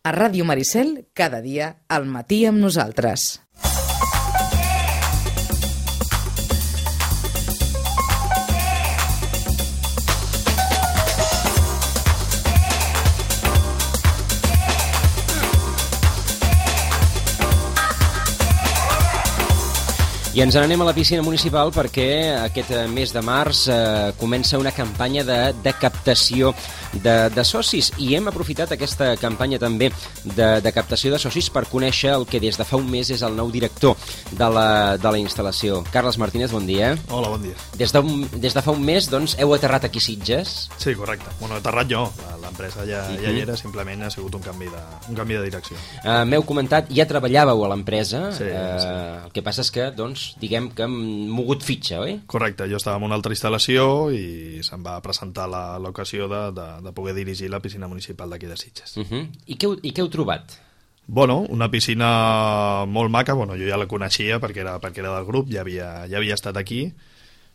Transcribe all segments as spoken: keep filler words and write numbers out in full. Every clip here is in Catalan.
A Ràdio Maricel, cada dia, al matí amb nosaltres. I ens n'anem a la piscina municipal perquè aquest mes de març eh, comença una campanya de, de captació de, de socis i hem aprofitat aquesta campanya també de, de captació de socis per conèixer el que des de fa un mes és el nou director de la, de la instal·lació. Carles Martínez, bon dia. Hola, bon dia. Des de, des de fa un mes doncs, heu aterrat aquí a Sitges? Sí, correcte. Bueno, aterrat jo. L'empresa ja, uh-huh. ja hi era, simplement ha sigut un canvi de, un canvi de direcció. Uh, M'heu comentat, ja treballàveu a l'empresa, sí, uh, sí. El que passa és que, doncs, diguem que hem mogut fitxa, oi? Correcte, jo estava en una altra instal·lació i se'm va presentar l'ocasió de, de, de poder dirigir la piscina municipal d'aquí de Sitges. Uh -huh. I, què heu, I què heu trobat? Bueno, una piscina molt maca, bueno, jo ja la coneixia perquè era, perquè era del grup, ja havia, ja havia estat aquí,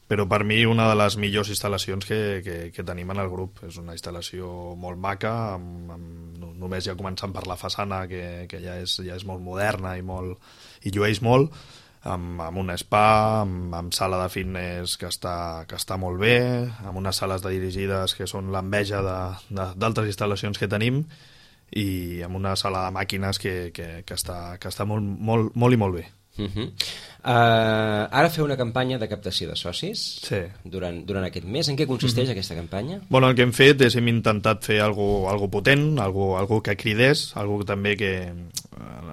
però per mi una de les millors instal·lacions que, que, que tenim en el grup. És una instal·lació molt maca, amb, amb, només ja començant per la façana, que, que ja, és, ja és molt moderna i, molt, i llueix molt, amb, amb un spa, amb, amb sala de fitness que està, que està molt bé, amb unes sales de dirigides que són l'enveja d'altres instal·lacions que tenim, i amb una sala de màquines que, que, que està, que està molt, molt, molt i molt bé. Uh -huh. uh, ara feu una campanya de captació de socis sí. durant, durant aquest mes. En què consisteix uh -huh. aquesta campanya? Bueno, el que hem fet és hem intentat fer algo, algo potent, algo, algo que cridés, algo també que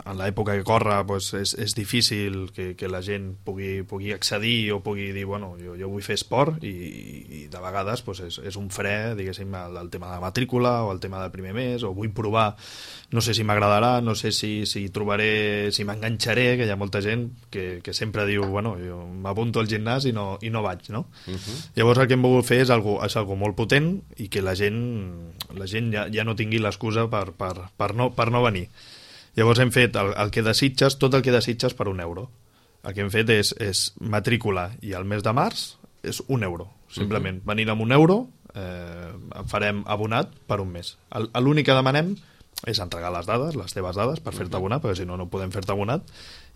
en l'època que corre pues, és, és difícil que, que la gent pugui, pugui accedir o pugui dir, bueno, jo, jo vull fer esport, i, i de vegades pues, és, és un fre, diguéssim, el, el tema de la matrícula o el tema del primer mes, o vull provar, no sé si m'agradarà, no sé si, si trobaré, si m'enganxaré, que hi ha molta gent que, que sempre diu, bueno, jo m'apunto al gimnàs i no, i no vaig, no? Uh -huh. Llavors el que hem volgut fer és algo, és algo molt potent i que la gent, la gent ja, ja no tingui l'excusa per, per, per, no, per no venir. Llavors hem fet el, el que desitges, tot el que desitges per un euro. El que hem fet és, és matrícula, i el mes de març és un euro. Simplement, uh-huh. venint amb un euro eh, farem abonat per un mes. L'únic que demanem és entregar les dades, les teves dades, per fer-te abonat, perquè si no, no podem fer-te abonat,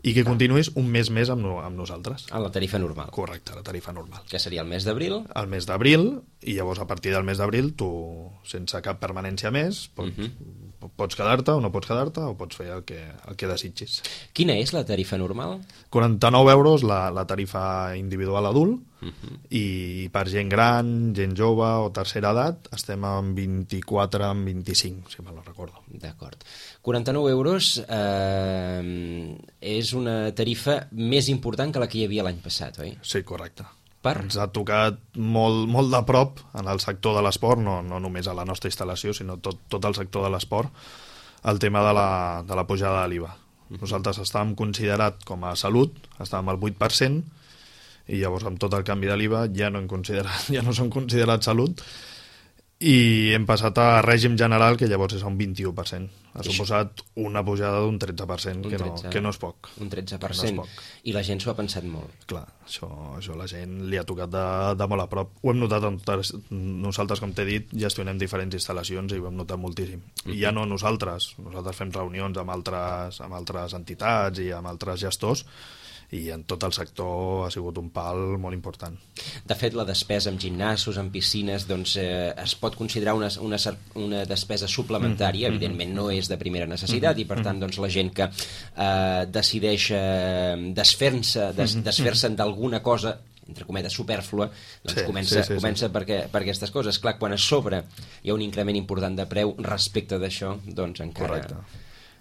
i que continuïs un mes més amb, no, amb nosaltres. A la tarifa normal. Correcte, la tarifa normal. Que seria el mes d'abril? El mes d'abril, i llavors a partir del mes d'abril tu, sense cap permanència més, pots, uh -huh. pots quedar-te o no pots quedar-te, o pots fer el que, el que desitgis. Quina és la tarifa normal? quaranta-nou euros la, la tarifa individual adult, uh -huh. i per gent gran, gent jove o tercera edat estem en vint-i-quatre, en vint-i-cinc, si me no recordo. D'acord. quaranta-nou euros eh, és una tarifa més important que la que hi havia l'any passat, oi? Sí, correcte. Per? Ens ha tocat molt, molt de prop en el sector de l'esport, no, no només a la nostra instal·lació, sinó tot, tot el sector de l'esport, el tema de la, de la pujada de l'I V A. Nosaltres estàvem considerat com a salut, estàvem al vuit per cent, i llavors amb tot el canvi de l'I V A ja no, hem considerat, ja no som considerats salut, i hem passat a règim general, que llavors és un vint-i-u per cent. Ha suposat una pujada d'un tretze per cent, que no, que no és poc. Un tretze per cent. No, i la gent s'ho ha pensat molt. Clar, això, això la gent li ha tocat de, de molt a prop. Ho hem notat, en, nosaltres, com t'he dit, gestionem diferents instal·lacions i ho hem notat moltíssim. Uh-huh. I ja no nosaltres, nosaltres fem reunions amb altres, amb altres entitats i amb altres gestors, i en tot el sector ha sigut un pal molt important. De fet, la despesa en gimnasos, en piscines, doncs eh, es pot considerar una, una, una despesa suplementària, mm -hmm. evidentment no és de primera necessitat, mm -hmm. i per tant doncs, la gent que eh, decideix eh, desfer-se des, desfer-se'n d'alguna cosa, entre cometes, supèrflua, doncs sí, comença, sí, sí, comença sí. Per, què, per aquestes coses. Clar, quan a sobre hi ha un increment important de preu respecte d'això, doncs encara... Correcte.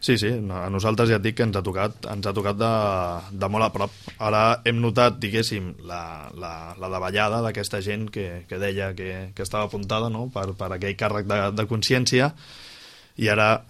Sí, sí, a nosaltres ja et dic que ens ha tocat, ens ha tocat de, de molt a prop. Ara hem notat, diguéssim, la, la, la davallada d'aquesta gent que, que deia que, que estava apuntada, no?, per, per aquell càrrec de, de consciència, i ara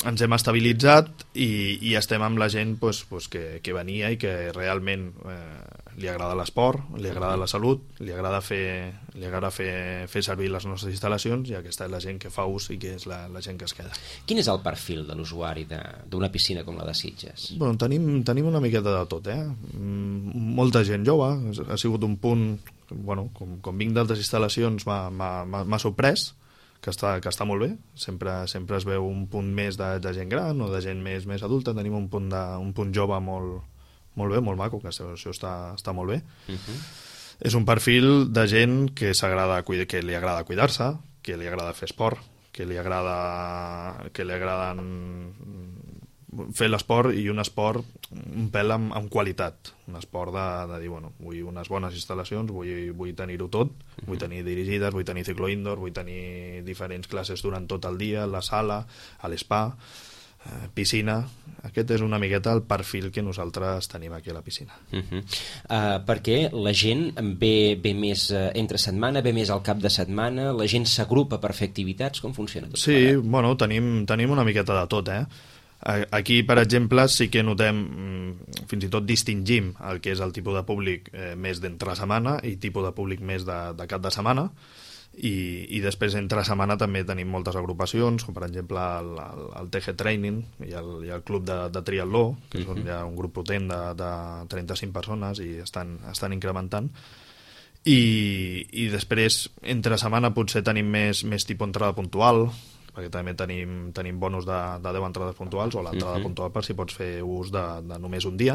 ens hem estabilitzat i, i estem amb la gent pues, pues, que, que venia i que realment eh, li agrada l'esport, li agrada la salut, li agrada fer, li agrada fer, fer servir les nostres instal·lacions, i aquesta és la gent que fa ús i que és la, la gent que es queda. Quin és el perfil de l'usuari d'una piscina com la de Sitges? Bueno, tenim, tenim una miqueta de tot, eh? Molta gent jove, ha sigut un punt, bueno, com, com vinc d'altres instal·lacions m'ha sorprès, que està, que està molt bé. Sempre, sempre es veu un punt més de, de gent gran o de gent més, més adulta. Tenim un punt, de, un punt jove molt, molt bé, molt maco, que això, això està, està molt bé. Uh-huh. És un perfil de gent que, s'agrada, que li agrada cuidar-se, que li agrada fer esport, que li agrada que li agraden fer l'esport, i un esport un pèl amb, amb qualitat, un esport de, de dir, bueno, vull unes bones instal·lacions, vull, vull tenir-ho tot, vull tenir dirigides, vull tenir ciclo indoor, vull tenir diferents classes durant tot el dia, a la sala, a l'espa, eh, piscina. Aquest és una miqueta el perfil que nosaltres tenim aquí a la piscina. Uh -huh. uh, perquè la gent ve, ve més uh, entre setmana, ve més al cap de setmana, la gent s'agrupa per fer activitats, com funciona tot? Sí, parat? Bueno, tenim, tenim una miqueta de tot, eh? Aquí, per exemple, sí que notem, fins i tot distingim el que és el tipus de públic eh, més d'entre setmana i tipus de públic més de, de cap de setmana, i, i després entre setmana també tenim moltes agrupacions, com per exemple el, el, el T G Training i el, i el club de, de triatló, que és on hi ha un grup potent de, de trenta-cinc persones i estan, estan incrementant. I, i després entre setmana potser tenim més, més tipus entrada puntual, perquè també tenim, tenim bonus de, de deu entrades puntuals, o l'entrada uh-huh. puntual per si pots fer ús de, de només un dia.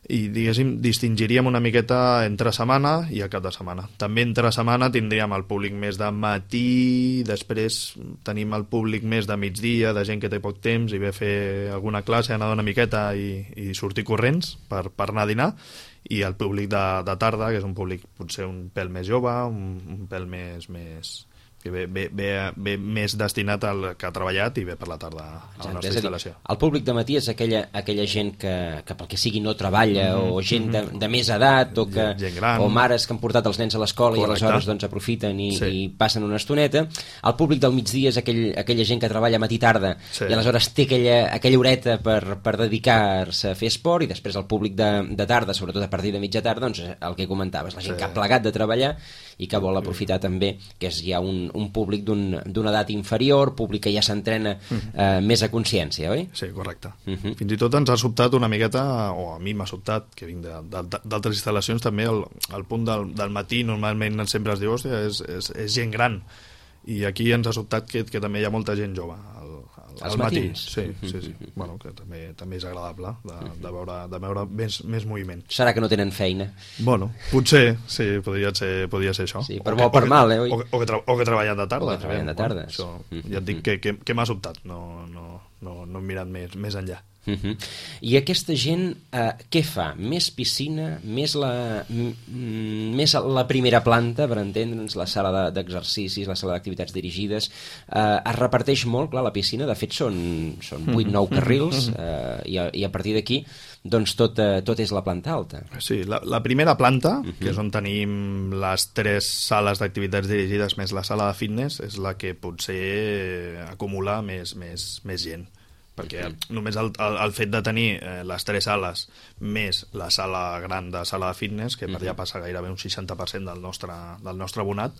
I, diguéssim, distingiríem una miqueta entre setmana i a cap de setmana. També entre setmana tindríem el públic més de matí, després tenim el públic més de migdia, de gent que té poc temps i ve a fer alguna classe, anar una miqueta i, i sortir corrents per, per anar a dinar, i el públic de, de tarda, que és un públic potser un pèl més jove, un, un pèl més... més que ve, ve, ve, ve més destinat al que ha treballat i ve per la tarda a la Exacte, nostra instal·lació. El públic de matí és aquella, aquella gent que, que pel que sigui no treballa, mm-hmm. o gent de, de més edat, o, que, gent gran. o mares que han portat els nens a l'escola i aleshores doncs, aprofiten i, sí. i passen una estoneta. El públic del migdia és aquell, aquella gent que treballa matí-tarda, sí. i aleshores té aquella, aquella horeta per, per dedicar-se a fer esport, i després el públic de, de tarda, sobretot a partir de mitja tarda, doncs el que comentaves, la gent sí. que ha plegat de treballar i que vol aprofitar sí. també, que és ja un, un públic d'una un, edat inferior, públic que ja s'entrena uh-huh. eh, més a consciència, oi? Sí, correcte. Uh-huh. Fins i tot ens ha sobtat una miqueta, o a mi m'ha sobtat, que vinc d'altres instal·lacions també, el, el punt del, del matí normalment sempre es diu, hòstia, és, és, és gent gran, i aquí ens ha sobtat que, que també hi ha molta gent jove al, al matí. Sí, sí, sí. Bueno, que també, també és agradable de, de veure, de veure més, més moviment. Serà que no tenen feina? Bueno, potser, sí, podria ser, podria ser això. Sí, per bo o per mal, eh? O que, o que, tra o que treballen de tarda. O que treballen de tarda. Bueno, això, ja et dic que, que, que m'ha sobtat, no, no, no, no he mirat més, més enllà. Uh -huh. I aquesta gent eh, què fa? Més piscina, més la, més la primera planta, per entendre'ns, la sala d'exercicis, la sala d'activitats dirigides, eh, es reparteix molt, clar, la piscina, de fet són, són vuit nou carrils, eh, i, a, i a partir d'aquí doncs tot, eh, tot és la planta alta. Sí, la, la primera planta, uh -huh. que és on tenim les tres sales d'activitats dirigides més la sala de fitness, és la que potser acumula més, més, més gent, perquè uh-huh. només el, el, el fet de tenir eh, les tres sales més la sala gran de sala de fitness, que per uh-huh. allà passa gairebé un seixanta per cent del nostre, del nostre abonat,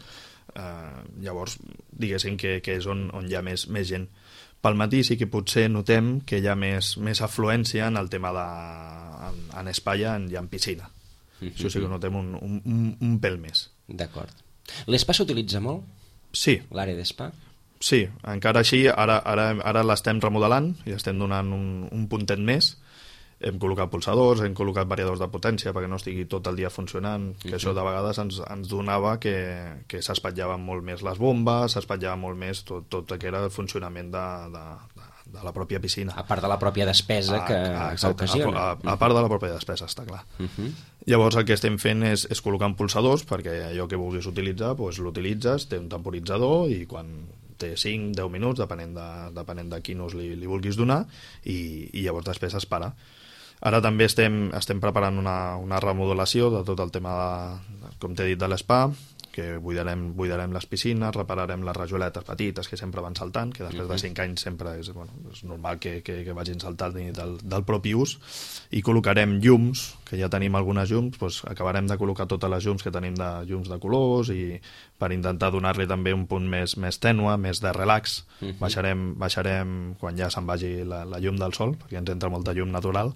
eh, llavors diguéssim que, que és on, on hi ha més, més gent. Pel matí sí que potser notem que hi ha més, més afluència en el tema de... en, en espai i en, en piscina. Uh-huh. Això sí que notem un, un, un, un pèl més. D'acord. L'espa s'utilitza molt? Sí. L'àrea d'espa? Sí, encara així, ara, ara, ara l'estem remodelant i estem donant un, un puntet més. Hem col·locat pulsadors, hem col·locat variadors de potència perquè no estigui tot el dia funcionant, que uh-huh. això de vegades ens, ens donava que, que s'espatllaven molt més les bombes, s'espatllava molt més tot, tot el que era el funcionament de, de, de, de la pròpia piscina. A part de la pròpia despesa que, ah, que ocasiona. A, a, a part de la pròpia despesa, està clar. Uh-huh. Llavors el que estem fent és, és col·locar pulsadors perquè allò que vulguis utilitzar, doncs l'utilitzes, té un temporitzador i quan té cinc deu minuts, depenent de, depenent de quin ús li, li vulguis donar, i, i llavors després es para. Ara també estem, estem preparant una, una remodelació de tot el tema, de, com t'he dit, de l'espa, que buidarem, buidarem les piscines, repararem les rajoletes petites que sempre van saltant, que després de cinc anys sempre és, bueno, és normal que, que, que vagin saltant del, del propi ús, i col·locarem llums, que ja tenim algunes llums, doncs acabarem de col·locar totes les llums que tenim de llums de colors, i per intentar donar-li també un punt més, més tènue, més de relax. Uh-huh. baixarem, baixarem quan ja se'n vagi la, la llum del sol, perquè ens entra molta llum natural.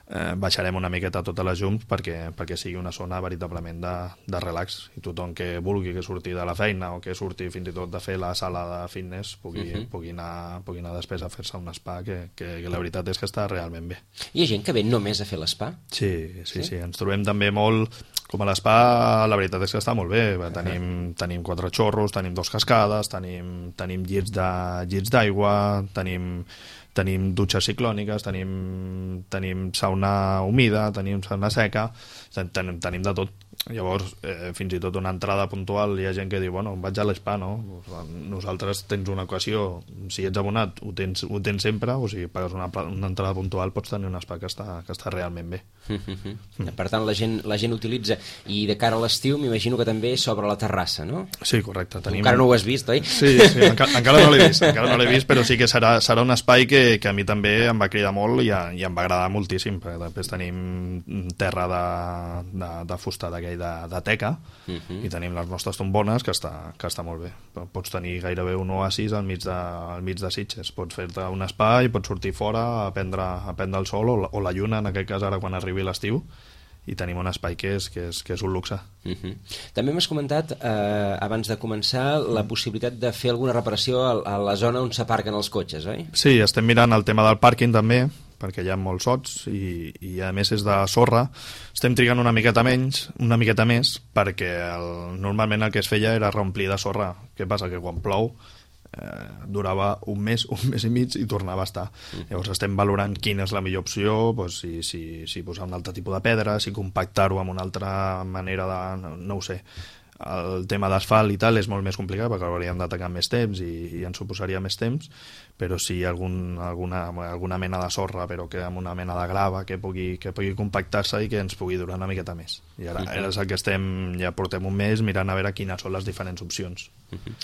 eh, baixarem una miqueta totes les llums perquè, perquè sigui una zona veritablement de, de relax, i tothom que vulgui que surti de la feina o que surti fins i tot de fer la sala de fitness pugui, uh -huh. pugui, anar, pugui anar després a fer-se un spa que, que, que la veritat és que està realment bé. Hi ha gent que ve només a fer l'espa? Sí, sí, sí, sí, ens trobem també molt. Com a l'espa, la veritat és que està molt bé. Tenim, tenim quatre xorros, tenim dos cascades, tenim, tenim llits de, llits d'aigua, tenim, tenim dutxes ciclòniques, tenim, tenim sauna humida, tenim sauna seca, tenim, tenim de tot. Llavors, eh, fins i tot una entrada puntual, hi ha gent que diu, bueno, vaig a l'espa, no? Nosaltres tens una equació, si ets abonat ho tens, ho tens sempre, o si pagues una, una entrada puntual pots tenir un espa que està, que està realment bé. Mm. Per tant, la gent, la gent utilitza, i de cara a l'estiu m'imagino que també s'obre la terrassa, no? Sí, correcte. Tenim... Encara no ho has vist, oi? Sí, sí, encara, encara no l'he vist, encara no l'he vist, però sí que serà, serà un espai que, que a mi també em va cridar molt i, a, i em va agradar moltíssim, perquè després tenim terra de, de, de fusta d'aquell de, de teca, uh -huh. i tenim les nostres tombones, que està, que està molt bé. Pots tenir gairebé un oasis al mig de, al mig de Sitges. Pots fer-te un espai, pots sortir fora a prendre, a prendre el sol, o la, o la lluna, en aquest cas ara quan arribi l'estiu, i tenim un espai que és, que és, que és un luxe. Uh -huh. També m'has comentat, eh, abans de començar, la possibilitat de fer alguna reparació a, a la zona on s'aparquen els cotxes, oi? Sí, estem mirant el tema del pàrquing també, perquè hi ha molts sots i, i a més és de sorra. Estem trigant una miqueta menys, una miqueta més, perquè el, normalment el que es feia era reomplir de sorra. Què passa? Que quan plou eh, durava un mes, un mes i mig i tornava a estar. Mm. Llavors estem valorant quina és la millor opció, doncs si, si, si posar un altre tipus de pedra, si compactar-ho amb una altra manera de... no, no ho sé. El tema d'asfalt i tal és molt més complicat perquè hauríem d'atacar més temps i, i ens suposaria més temps, però si algun, alguna, alguna mena de sorra, però que amb una mena de grava que pugui, que pugui compactar-se i que ens pugui durar una miqueta més. I ara, ara és el que estem, ja portem un mes mirant a veure quines són les diferents opcions. Uh-huh.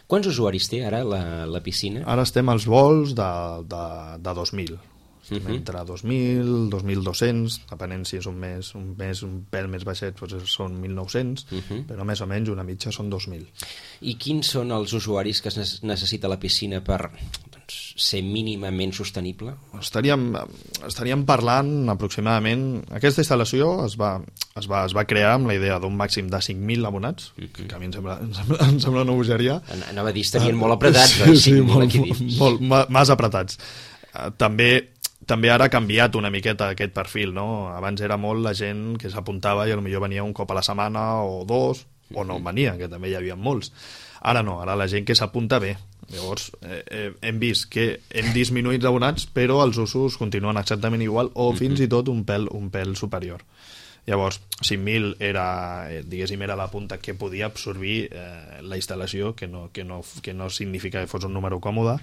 Quants usuaris té ara la, la piscina? Ara estem als vols de, de, de dos mil. Uh-huh. Entre dos mil, dos mil dos-cents, depenent si és un mes, un mes un pèl més baixet, doncs són mil nou-cents, uh-huh. però més o menys una mitja són dos mil. I quins són els usuaris que es necessita la piscina per doncs, ser mínimament sostenible? Estaríem, estaríem parlant aproximadament... Aquesta instal·lació es va, es va, es va crear amb la idea d'un màxim de cinc mil abonats, uh-huh. que a mi em sembla, em sembla, em sembla una bogeria. Anava a dir, estarien molt apretats, sí, oi? Sí, molt, molt, molt, massa apretats. Uh, també... També ara ha canviat una miqueta aquest perfil, no? Abans era molt la gent que s'apuntava i potser venia un cop a la setmana o dos, o no venia, que també hi havia molts. Ara no, ara la gent que s'apunta bé. Llavors, eh, eh, hem vist que hem disminuït abonats, però els usos continuen exactament igual o fins i tot un pèl, un pèl superior. Llavors, cinc mil era, eh, diguéssim, era la punta que podia absorbir eh, la instal·lació, que no, que, no, que no significa que fos un número còmode.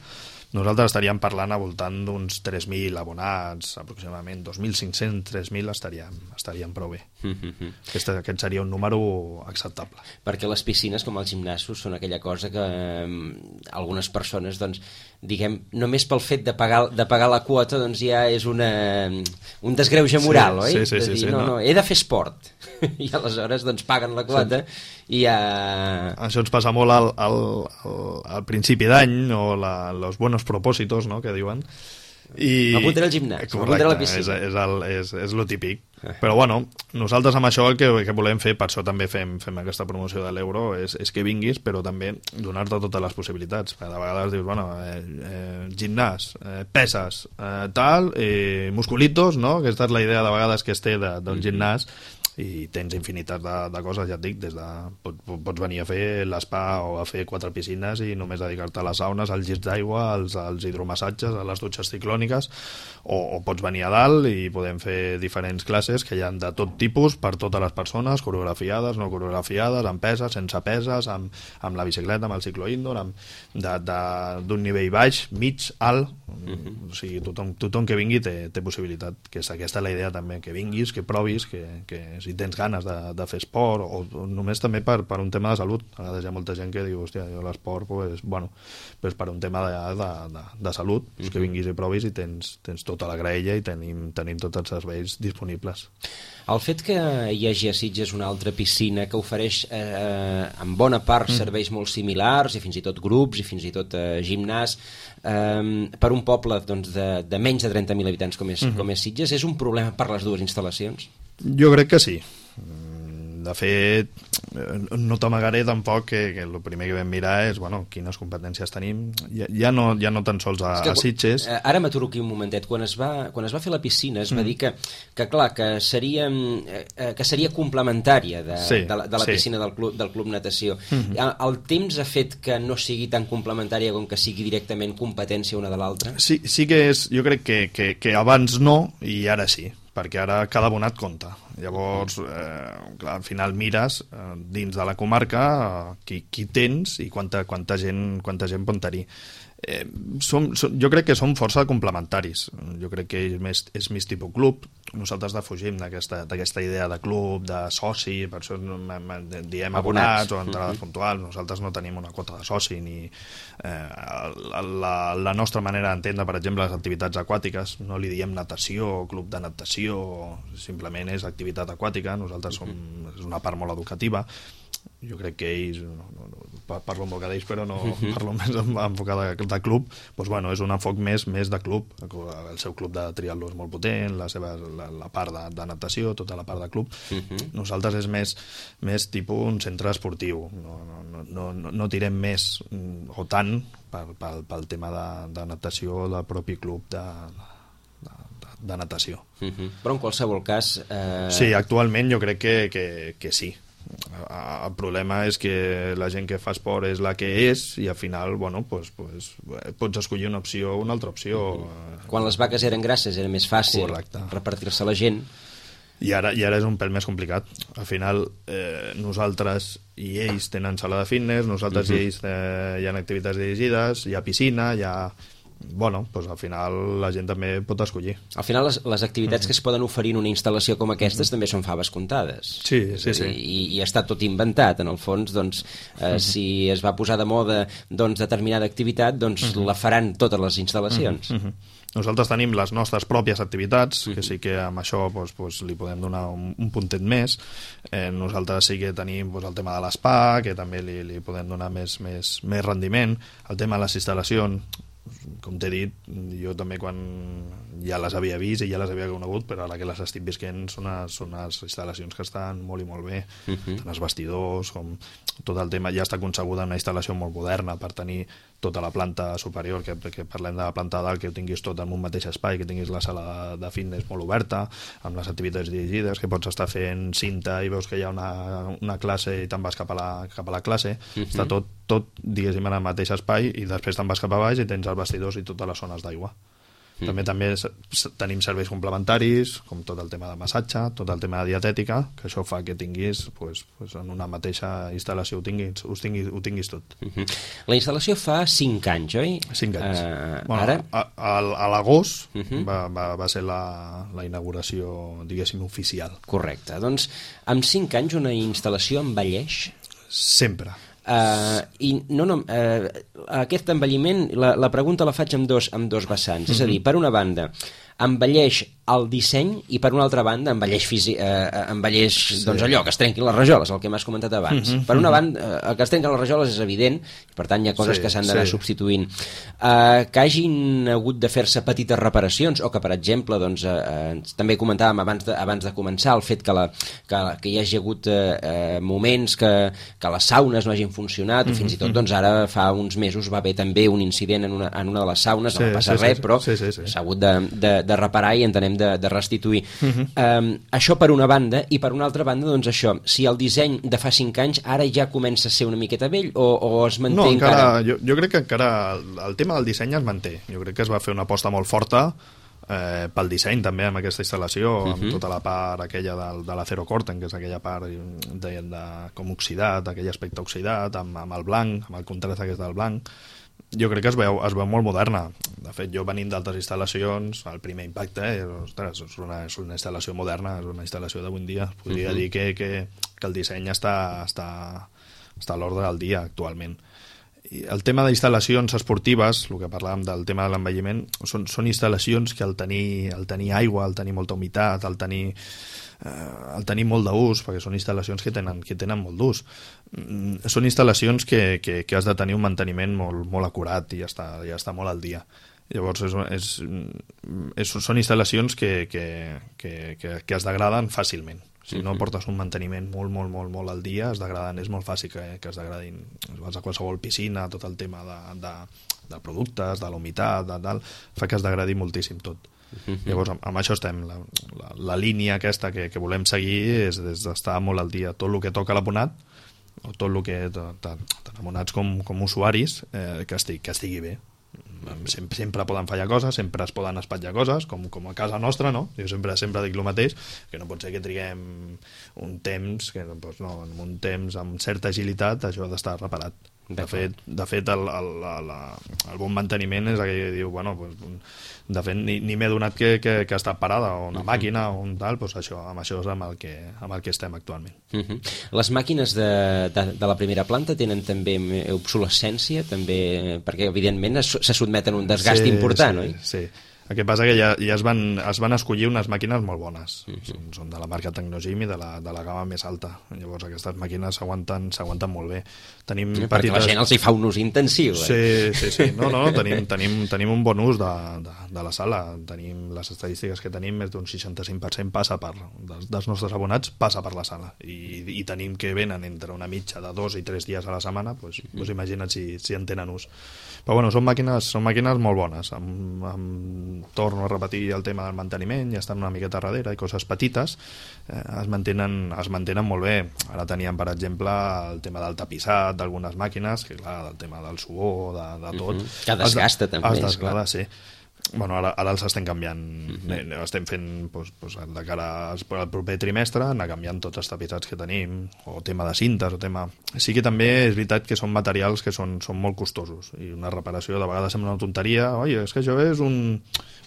Nosaltres estaríem parlant al voltant d'uns tres mil abonats, aproximadament dos mil cinc-cents, tres mil estaríem, estaríem prou bé. Mm-hmm. Aquest, aquest seria un número acceptable. Perquè les piscines, com els gimnasos, són aquella cosa que eh, algunes persones, doncs, diguem, només pel fet de pagar, de pagar la quota, doncs ja és una, un desgreuge moral, sí, oi? Sí, sí, sí, dir, sí, no, no. no, he de fer esport. I aleshores, doncs, paguen la quota sí. i ja... Això ens passa molt al, al, al, al principi d'any, o la, los buenos propósitos, no?, que diuen. I... M'apuntaré al gimnàs, m'apuntaré a la piscina. És, és, el, és, és lo típic. Però bueno, nosaltres amb això el que, que volem fer, per això també fem, fem aquesta promoció de l'euro, és, és que vinguis, però també donar-te totes les possibilitats. Perquè de vegades dius, bueno, eh, eh, gimnàs, eh, peses, eh, tal, eh, musculitos, no?, aquesta és la idea de vegades que es té d'un mm-hmm. gimnàs, i tens infinitat de, de coses, ja et dic, des de, pot, pots venir a fer l'espa o a fer quatre piscines i només dedicar-te a les saunes, als llits d'aigua, als, als hidromassatges, a les dutxes ciclòniques, o, o pots venir a dalt i podem fer diferents classes que hi ha de tot tipus per totes les persones, coreografiades, no coreografiades, amb peses, sense peses, amb, amb la bicicleta, amb el ciclo indoor, amb, de, de, d'un nivell baix, mig, alt, mm-hmm. o sigui, tothom, tothom que vingui té, té possibilitat, que és aquesta la idea també, que vinguis, que provis, que, que si tens ganes de, de fer esport o, o només també per, per un tema de salut. A vegades hi ha molta gent que diu, hòstia, jo l'esport pues, bueno, pues per un tema de, de, de, de salut, pues mm-hmm. que vinguis i provis i tens, tens tota la graella i tenim, tenim tots els serveis disponibles. El fet que hi hagi a Sitges una altra piscina que ofereix eh, en bona part mm. serveis molt similars i fins i tot grups i fins i tot eh, gimnàs, eh, per un poble doncs, de, de menys de trenta mil habitants com és, uh-huh. com és Sitges, és un problema per les dues instal·lacions? Jo crec que sí. De fet, no t'amagaré tampoc que, que el primer que vam mirar és, bueno, quines competències tenim, ja, ja, no, ja no tan sols a, que, a Sitges. Ara m'aturo aquí un momentet. Quan es va, quan es va fer la piscina es va mm. dir que, que clar, que seria, que seria complementària de, sí, de, la, de la sí. piscina del club, del club natació. Mm-hmm. El temps ha fet que no sigui tan complementària com que sigui directament competència una de l'altra? Sí, sí que és, jo crec que, que, que abans no i ara sí, perquè ara cada abonat compta. Llavors, eh, clar, al final mires eh, dins de la comarca eh, qui, qui tens i quanta, quanta, gent, quanta gent pot tenir. Eh, som, som, jo crec que són força complementaris. Jo crec que és més, és més tipus club. Nosaltres defugim d'aquesta idea de club, de soci, per això diem abonats, abonats o entrades uh-huh. puntuals. Nosaltres no tenim una quota de soci ni eh, la, la nostra manera d'entendre, per exemple, les activitats aquàtiques, no li diem natació, club de natació, simplement és activitat aquàtica. Nosaltres som, és una part molt educativa. Jo crec que ells, no, no, no, parlo amb boca d'ells, però no uh-huh. parlo més enfocat de, de club, doncs, bueno, és un enfoc més, més de club. El seu club de triatló és molt potent, la, seva, la, la part de, de natació, tota la part de club. Uh-huh. Nosaltres és més, més tipus un centre esportiu, no, no, no, no, no tirem més o tant pel, pel, pel tema de, de natació del propi club de, de, de, de natació. Uh-huh. Però en qualsevol cas... Eh... Sí, actualment jo crec que, que, que sí. El problema és que la gent que fa esport és la que és i al final, bueno, pues, pues, pots escollir una opció o una altra opció. Mm-hmm. Quan les vaques eren grasses era més fàcil Correcte. repartir-se la gent. I ara, I ara és un pèl més complicat. Al final, eh, nosaltres i ells tenen sala de fitness, nosaltres mm-hmm. i ells eh, hi ha activitats dirigides, hi ha piscina, hi ha... Bueno, doncs al final la gent també pot escollir. Al final les, les activitats mm-hmm. que es poden oferir en una instal·lació com aquestes mm-hmm. també són faves comptades. Sí, sí, sí. I, i està tot inventat, en el fons, doncs, eh, mm-hmm. si es va posar de moda doncs, determinada activitat, doncs mm-hmm. la faran totes les instal·lacions. Mm-hmm. Nosaltres tenim les nostres pròpies activitats, mm-hmm. que sí que amb això doncs, doncs, li podem donar un, un puntet més. Eh, nosaltres sí que tenim doncs, el tema de l'espa, que també li, li podem donar més, més, més rendiment. El tema de les instal·lacions, com t'he dit, jo també quan ja les havia vist i ja les havia conegut, però ara que les estic visquent són unes, són unes instal·lacions que estan molt i molt bé. Uh-huh. Tant els vestidors com tot el tema, ja està concebuda una instal·lació molt moderna per tenir tota la planta superior, que, que parlem de la planta dalt, que ho tinguis tot en un mateix espai, que tinguis la sala de, de fitness molt oberta, amb les activitats dirigides, que pots estar fent cinta i veus que hi ha una, una classe i te'n vas cap a la, cap a la classe. Uh-huh. Està tot, tot, diguéssim, en el mateix espai i després te'n vas cap a baix i tens els vestidors i totes les zones d'aigua. Mm. També també tenim serveis complementaris, com tot el tema de massatge, tot el tema de dietètica, que això fa que tinguis, pues, pues en una mateixa instal·lació ho tinguis, ho tinguis, ho tinguis tot. Mm-hmm. La instal·lació fa cinc anys, oi? Cinc anys. Uh, bueno, ara? A, a, a l'agost mm-hmm. va, va, va ser la, la inauguració, diguéssim, oficial. Correcte. Doncs amb cinc anys una instal·lació envelleix? Sempre. Uh, i no, no, uh, aquest envelliment, la, la pregunta la faig amb dos, amb dos vessants, mm-hmm. és a dir, per una banda envelleix el disseny i per una altra banda envelleix, fisi, eh, envelleix sí. doncs allò, que es trenquin les rajoles, el que m'has comentat abans. Mm-hmm. Per una banda, el que es trenquen les rajoles és evident, per tant hi ha coses sí, que s'han d'anar sí. substituint. Eh, que hagin hagut de fer-se petites reparacions o que, per exemple, doncs, eh, també comentàvem abans de, abans de començar el fet que, la, que, que hi hagi hagut eh, moments que, que les saunes no hagin funcionat, mm-hmm. o fins i tot doncs, ara fa uns mesos va haver també un incident en una, en una de les saunes, sí, no va passar sí, res, sí, però s'ha sí, sí, sí. hagut de, de, de reparar i entenem de, de restituir. Uh-huh. Um, això per una banda, i per una altra banda, doncs això, si el disseny de fa cinc anys ara ja comença a ser una miqueta vell o, o es manté no, encara? encara? Jo, jo crec que encara el, el tema del disseny es manté. Jo crec que es va fer una aposta molt forta eh, pel disseny també amb aquesta instal·lació, uh-huh. amb tota la part aquella del, de l'acero corten, que és aquella part de, de, com oxidat, aquell aspecte oxidat, amb, amb el blanc, amb el contrast aquest del blanc. Jo crec que es veu, es veu molt moderna. De fet, jo venint d'altres instal·lacions, el primer impacte eh, ostres, és, una, és una instal·lació moderna, és una instal·lació d'avui en dia. Podria uh-huh. dir que, que, que el disseny està, està, està a l'ordre del dia actualment. I el tema d'instal·lacions esportives, el que parlàvem del tema de l'envelliment, són, són instal·lacions que al tenir, al tenir aigua, al tenir molta humitat, al tenir, eh, al tenir molt d'ús, perquè són instal·lacions que tenen, que tenen molt d'ús, mm, són instal·lacions que, que, que has de tenir un manteniment molt, molt acurat i ja està, ja està molt al dia. Llavors és, és, és, són instal·lacions que, que, que, que, que es degraden fàcilment. Si no portes un manteniment molt, molt, molt, molt al dia, es degraden, és molt fàcil que, que es degradin. Vas a qualsevol piscina, tot el tema de, de, de productes, de la humitat, de tal, fa que es degradi moltíssim tot. Uh-huh. Llavors, amb, amb això estem. La, la, la línia aquesta que, que volem seguir és, és d'estar molt al dia. Tot el que toca l'abonat, o tot el que, tant abonats com, com usuaris, eh, que, estigui, que estigui bé. Sempre, sempre poden fallar coses, sempre es poden espatllar coses, com, com a casa nostra, no? Jo sempre sempre dic el mateix, que no pot ser que triguem un temps, que doncs no, en un temps amb certa agilitat això ha d'estar reparat. De fet, de fet el, el, el, el bon manteniment és aquell que diu, bueno, pues, de fet ni, ni m'he donat que, que, que està parada o una uh-huh. màquina o un tal, pues això, amb això és amb el que, amb el que estem actualment. Uh-huh. Les màquines de, de, de la primera planta tenen també obsolescència, també, perquè evidentment es, se sotmeten a un desgast sí, important, sí, oi? Sí. El que passa que ja, ja es, van, es van escollir unes màquines molt bones. Uh-huh. Són, són de la marca Tecnogym i de la, de la gamma més alta. Llavors aquestes màquines s'aguanten s'aguanten molt bé. Tenim sí, petites... Perquè la gent els hi fa un ús intensiu. Eh? Sí, sí, sí. No, no, tenim, tenim, tenim un bon ús de, de, de la sala. Tenim les estadístiques que tenim, més d'un seixanta-cinc per cent passa per, dels, dels nostres abonats passa per la sala. I, i tenim que venen entre una mitja de dos i tres dies a la setmana, doncs, uh-huh. doncs imagina't si, si en tenen ús. Però bueno, són màquines, són màquines molt bones, amb, amb torno a repetir el tema del manteniment, ja estan una miqueta darrere i coses petites, eh, es, mantenen, es mantenen molt bé. Ara teníem, per exemple, el tema del tapissat d'algunes màquines, que clar, del tema del suor, de, de tot. Uh-huh. Que desgasta es, també, es desgasta, sí. Bueno, ara, ara els estem canviant, uh-huh. estem fent doncs, doncs, de cara al proper trimestre, anar canviant tots els tapissats que tenim, o tema de cintes, o tema... Sí que també és veritat que són materials que són, són molt costosos, i una reparació de vegades sembla una tonteria, oi, és que això és un...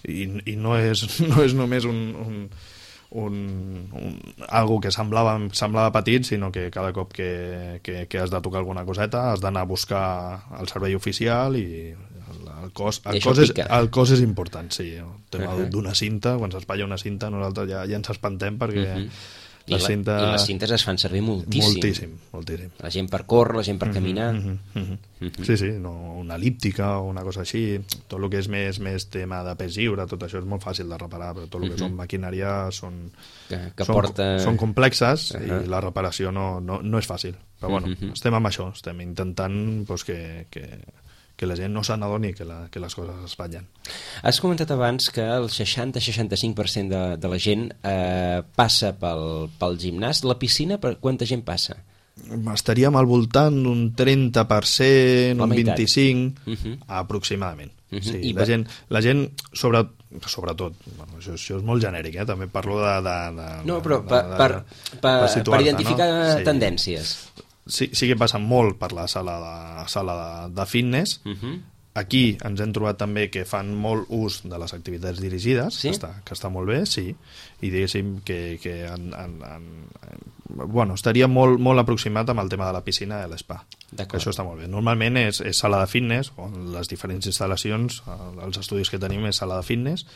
I, i no, és, no és només un... un Un, un, algo que semblava, semblava petit, sinó que cada cop que, que, que has de tocar alguna coseta has d'anar a buscar el servei oficial i el cost, el cost, és, el cost és important, sí. El tema uh-huh. d'una cinta, quan s'espatlla una cinta nosaltres ja, ja ens espantem perquè uh-huh. I, la, cinta... I les cintes es fan servir moltíssim. Moltíssim, moltíssim. La gent per córrer, la gent per caminar. Uh-huh, uh-huh. Uh-huh. Sí, sí, no, una elíptica o una cosa així. Tot el que és més, més tema de pes lliure, tot això és molt fàcil de reparar, però tot el que uh-huh. són maquinària són, que, que són, porta... són complexes uh-huh. i la reparació no, no, no és fàcil. Però bueno, uh-huh. estem amb això, estem intentant pues, que... que que la gent no se n'adoni que, la, que les coses es espatllen. Has comentat abans que el seixanta a seixanta-cinc per cent de, de la gent eh, passa pel, pel gimnàs. La piscina, per quanta gent passa? Estaríem al voltant d'un trenta per cent, un vint-i-cinc per cent, uh-huh. aproximadament. Uh-huh. Sí, I la, per... gent, la gent, sobre, sobretot, bueno, això, això és molt genèric, eh? També parlo de... de, de no, però de, per, de, per, de, per, per, per identificar no? Sí. tendències. Sí, sí que passa molt per la sala de, sala de, de fitness. Uh-huh. Aquí ens hem trobat també que fan molt ús de les activitats dirigides, sí? que, està, que està molt bé, sí, i diguéssim que, que en, en, en, bueno, estaria molt, molt aproximat amb el tema de la piscina i l'espa. Això està molt bé. Normalment és, és sala de fitness, on les diferents instal·lacions, els estudis que tenim és sala de fitness,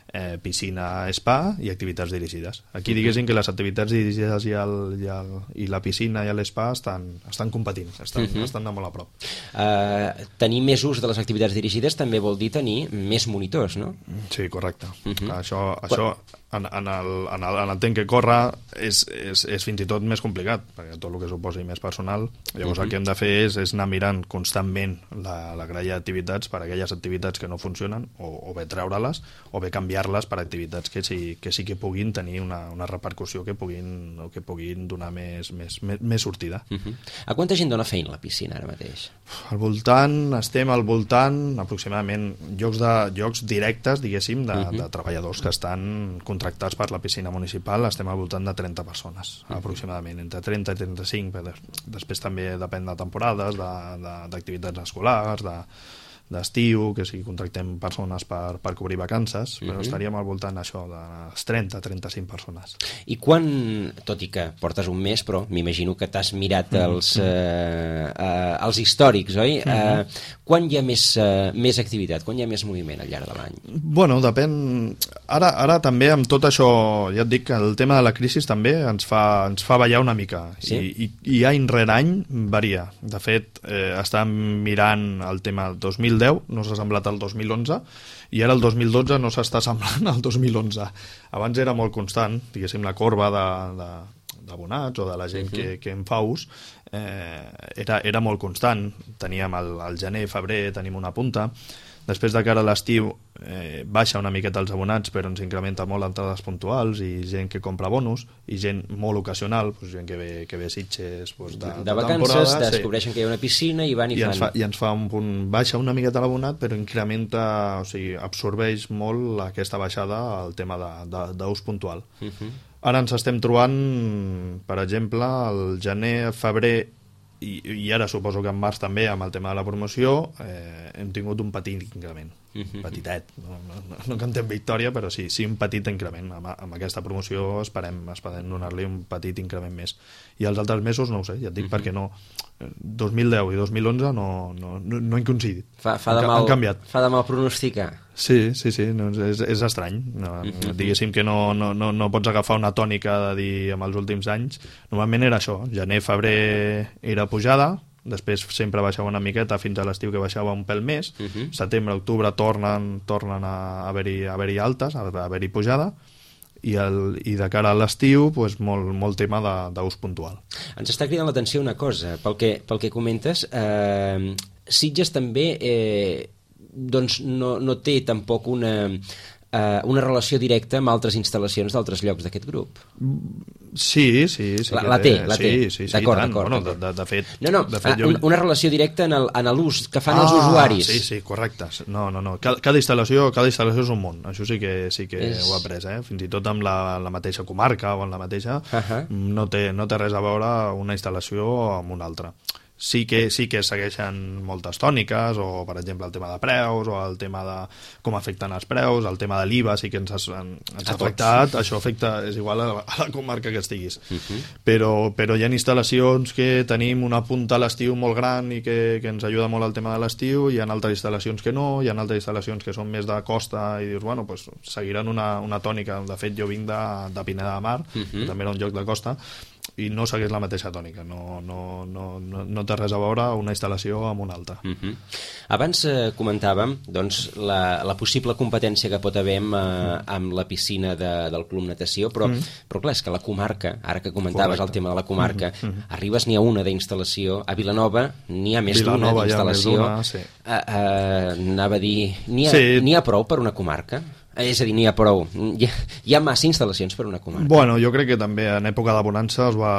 eh, piscina, spa i activitats dirigides. Aquí diguéssim que les activitats dirigides i, el, i, el, i la piscina i l'espa estan, estan competint, estan, uh-huh. estan de molt a prop. Uh, tenir més ús de les activitats dirigides també vol dir tenir més monitors, no? Sí, correcte. Uh-huh. Això, això en, en, el, en, el, en el temps que corre és, és, és fins i tot més complicat, perquè tot el que suposi més personal. Llavors uh-huh. el que hem de fer és, és anar mirant constantment la, la grella d'activitats per a aquelles activitats que no funcionen, o, o bé treure-les, o bé canviar-les per activitats que sí que, sí que puguin tenir una, una repercussió, que puguin, o que puguin donar més, més, més, més sortida. Uh-huh. A quanta gent dona feina a la piscina ara mateix? Al voltant, estem al voltant aproximadament llocs, de, llocs directes, diguéssim, de, uh-huh. de treballadors que estan contractats per la piscina municipal, estem al voltant de trenta persones, uh-huh. aproximadament, entre trenta i trenta-cinc. Després també depèn de temporades, d'activitats de, escolars, de, d'estiu, que si contractem persones per, per cobrir vacances, però uh-huh. estaríem al voltant això de les trenta a trenta-cinc persones. I quan, tot i que portes un mes, però m'imagino que t'has mirat els, uh-huh. eh, eh, els històrics, oi? Uh-huh. Eh, quan hi ha més, eh, més activitat, quan hi ha més moviment al llarg de l'any? Bueno, depèn... Ara, ara també amb tot això, ja et dic que el tema de la crisi també ens fa, ens fa ballar una mica, sí? I, i, i any rere any varia. De fet, eh, estàvem mirant el tema dos mil mil deu no s'ha semblat al dos mil onze i ara el dos mil dotze no s'està semblant al dos mil onze. Abans era molt constant, diguéssim, la corba de, de, d'abonats o de la gent uh-huh. que, que en fa ús eh, era, era molt constant. Teníem el, el gener, febrer, tenim una punta. Després de cara a l'estiu eh, baixa una miqueta els abonats, però ens incrementa molt entrades puntuals i gent que compra bonus i gent molt ocasional, doncs gent que ve, que ve Sitges doncs de, de vacances, descobreixen sí. que hi ha una piscina i van i, I fan... Ens fa, I ens fa un punt, baixa una miqueta l'abonat, però incrementa, o sigui, absorbeix molt aquesta baixada al tema d'ús puntual. Uh-huh. Ara ens estem trobant, per exemple, el gener, febrer, I, i ara suposo que en març també amb el tema de la promoció eh, hem tingut un petit increment uh-huh. petitet, no, no, no cantem victòria però sí, sí un petit increment amb, amb aquesta promoció esperem, esperem donar-li un petit increment més i els altres mesos no ho sé, ja et dic uh-huh. perquè no dos mil deu i dos mil onze no, no, no, no han coincidit, fa, fa de han, mal, han canviat fa de mal pronosticar. Sí, sí, sí, no, és, és estrany. No, uh-huh. Diguéssim que no, no, no, no pots agafar una tònica de dir amb els últims anys. Normalment era això, gener, febrer era pujada, després sempre baixava una miqueta fins a l'estiu que baixava un pèl més, uh-huh. setembre, octubre tornen, tornen a haver-hi haver-hi altes, a haver-hi pujada, i, el, i de cara a l'estiu pues, molt, molt tema d'ús puntual. Ens està cridant l'atenció una cosa, pel que, pel que comentes, eh, Sitges també... Eh, doncs no, no té tampoc una, eh, una relació directa amb altres instal·lacions d'altres llocs d'aquest grup. Sí, sí. sí la, la té, la té. Sí, sí, sí, d'acord, d'acord. Bueno, de, de, de fet... No, no, de fet, jo... una, una relació directa en l'ús que fan ah, els usuaris. Sí, sí, correcte. No, no, no. Cada, cada, instal·lació, cada instal·lació és un món. Això sí que, sí que és... ho he après, eh? Fins i tot amb la, la mateixa comarca o en la mateixa... Uh-huh. no, té, no té res a veure una instal·lació amb una altra. Sí que, sí que segueixen moltes tòniques, o per exemple el tema de preus, o el tema de com afecten els preus, el tema de l'I V A sí que ens ha, ens ha afectat, tots. Això afecta, és igual a la, a la comarca que estiguis. Uh-huh. però, però hi ha instal·lacions que tenim una punta a l'estiu molt gran i que, que ens ajuda molt al tema de l'estiu, hi ha altres instal·lacions que no, hi ha altres instal·lacions que són més de costa i dius, bueno, pues, seguiran una, una tònica. De fet, jo vinc de, de Pineda de Mar, uh-huh. que també era un lloc de costa, i no segueix la mateixa tònica, no, no, no, no, no té res a veure una instal·lació amb una altra. Uh-huh. Abans eh, comentàvem doncs, la, la possible competència que pot haver amb, eh, amb la piscina de, del Club Natació, però, uh-huh. però clar, és que la comarca, ara que comentaves Correcte. El tema de la comarca, uh-huh. Uh-huh. arribes n'hi ha una d'instal·lació, a Vilanova n'hi ha més d'una d'instal·lació, sí. eh, eh, anava a dir, n'hi ha, sí. n'hi ha prou per una comarca? És a dir, n'hi ha prou. Hi ha, hi ha massa instal·lacions per una comarca. Bueno, jo crec que també en època de bonança es va...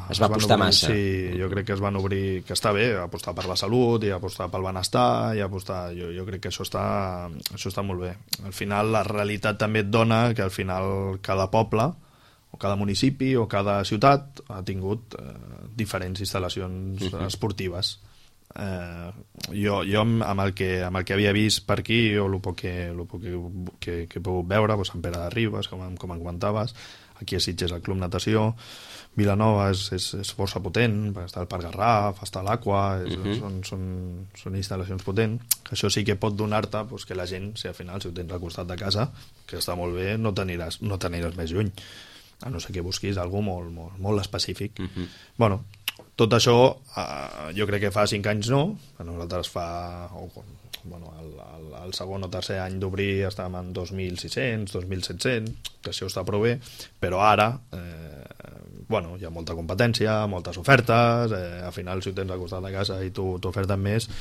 Es va apostar obrir, massa. Sí, jo crec que es van obrir... Que està bé, apostar per la salut i apostar pel benestar i apostar... Jo, jo crec que això està, això està molt bé. Al final, la realitat també et dona que al final cada poble o cada municipi o cada ciutat ha tingut eh, diferents instal·lacions uh-huh. esportives. Eh, jo, jo amb, el que, amb el que havia vist per aquí o el poc que, el poc que, que, que he pogut veure doncs, Sant Pere de Ribes, com, com em comentaves, aquí a Sitges el Club Natació, Vilanova és, és, és força potent, està el Parc Garraf, està l'Aqua, uh-huh. són, són, són instal·lacions potents, que això sí que pot donar-te doncs, que la gent, si al final si ho tens al costat de casa, que està molt bé, no t'aniràs no t'aniràs més lluny, a no ser que busquis alguna molt, molt, molt específic. Uh-huh. Bueno, tot això, eh, jo crec que fa cinc anys no, a nosaltres fa... O, bueno, el, el, el segon o tercer any d'obrir estàvem en dos mil sis-cents, dos mil set-cents, que això està prou bé, però ara, eh, bueno, hi ha molta competència, moltes ofertes, eh, al final si ho tens al costat de casa i tu t'oferten més,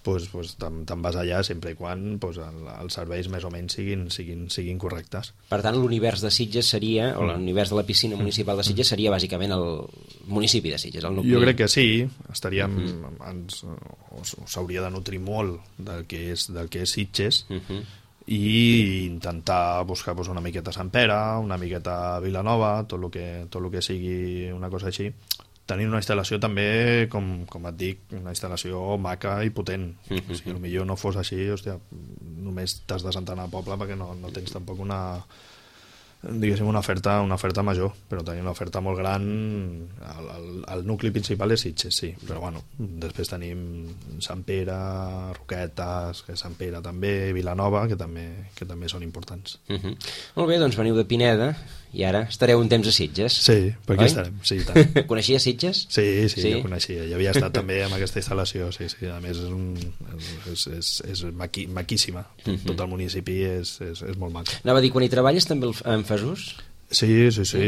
pues, pues, te'n te vas allà sempre i quan pues, el, els serveis més o menys siguin, siguin, siguin correctes. Per tant, l'univers de Sitges seria, o l'univers de la piscina municipal de Sitges seria bàsicament el municipi de Sitges, el nucli. Jo crec que sí, estaríem, uh-huh. ens, s'hauria de nutrir molt del que és, del que és Sitges, uh-huh. i intentar buscar pues, una miqueta Sant Pere, una miqueta Vilanova, tot el que, tot el que sigui una cosa així, tenint una instal·lació també, com, com et dic, una instal·lació maca i potent. Uh-huh. Si potser no fos així, hòstia, només t'has de sentar al poble perquè no, no tens tampoc una, diguéssim, una oferta, una oferta major, però tenim una oferta molt gran. El, el, el nucli principal és Sitges, sí, però bueno, després tenim Sant Pere, Roquetes, que és Sant Pere també, Vilanova, que també, que també són importants. Uh-huh. Molt bé, doncs veniu de Pineda i ara estareu un temps a Sitges. Sí, per aquí estarem, sí, tant. Coneixia Sitges? Sí, sí, sí, jo coneixia, ja havia estat també en aquesta instal·lació, sí, sí, a més és, un, és, és, és maqui, maquíssima, uh-huh. Tot el municipi és, és, és molt maco. Anava a dir, quan hi treballes també en fas ús? Sí, sí, sí.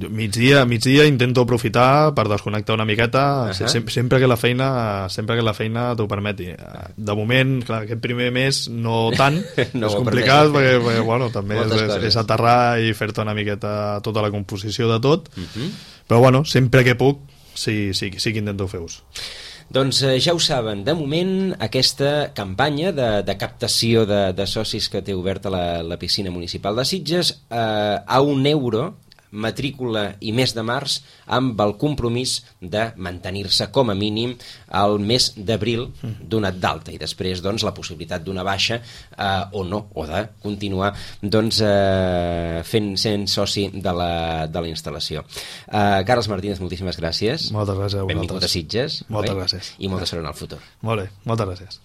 Migdia, migdia intento aprofitar per desconnectar una miqueta, uh-huh. sempre, sempre que la feina sempre que la feina t'ho permeti. De moment, clar, aquest primer mes no tant, no és complicat perquè, perquè bueno, també és, és, és aterrar i fer-te una miqueta tota la composició de tot, uh-huh. Però bueno, sempre que puc sí, sí, sí que intento fer ús. Doncs eh, ja ho saben, de moment aquesta campanya de, de captació de, de socis que té oberta la, la piscina municipal de Sitges eh, a un euro, matrícula i mes de març, amb el compromís de mantenir-se com a mínim al mes d'abril donat d'alta i després doncs, la possibilitat d'una baixa eh, o no, o de continuar doncs, eh, fent, sent soci de la, de la instal·lació. Eh, Carles Martínez, moltíssimes gràcies. Moltes gràcies a vosaltres. Benvingut a Sitges. Moltes bé? gràcies. I molta sort en el futur. Molt bé, moltes gràcies.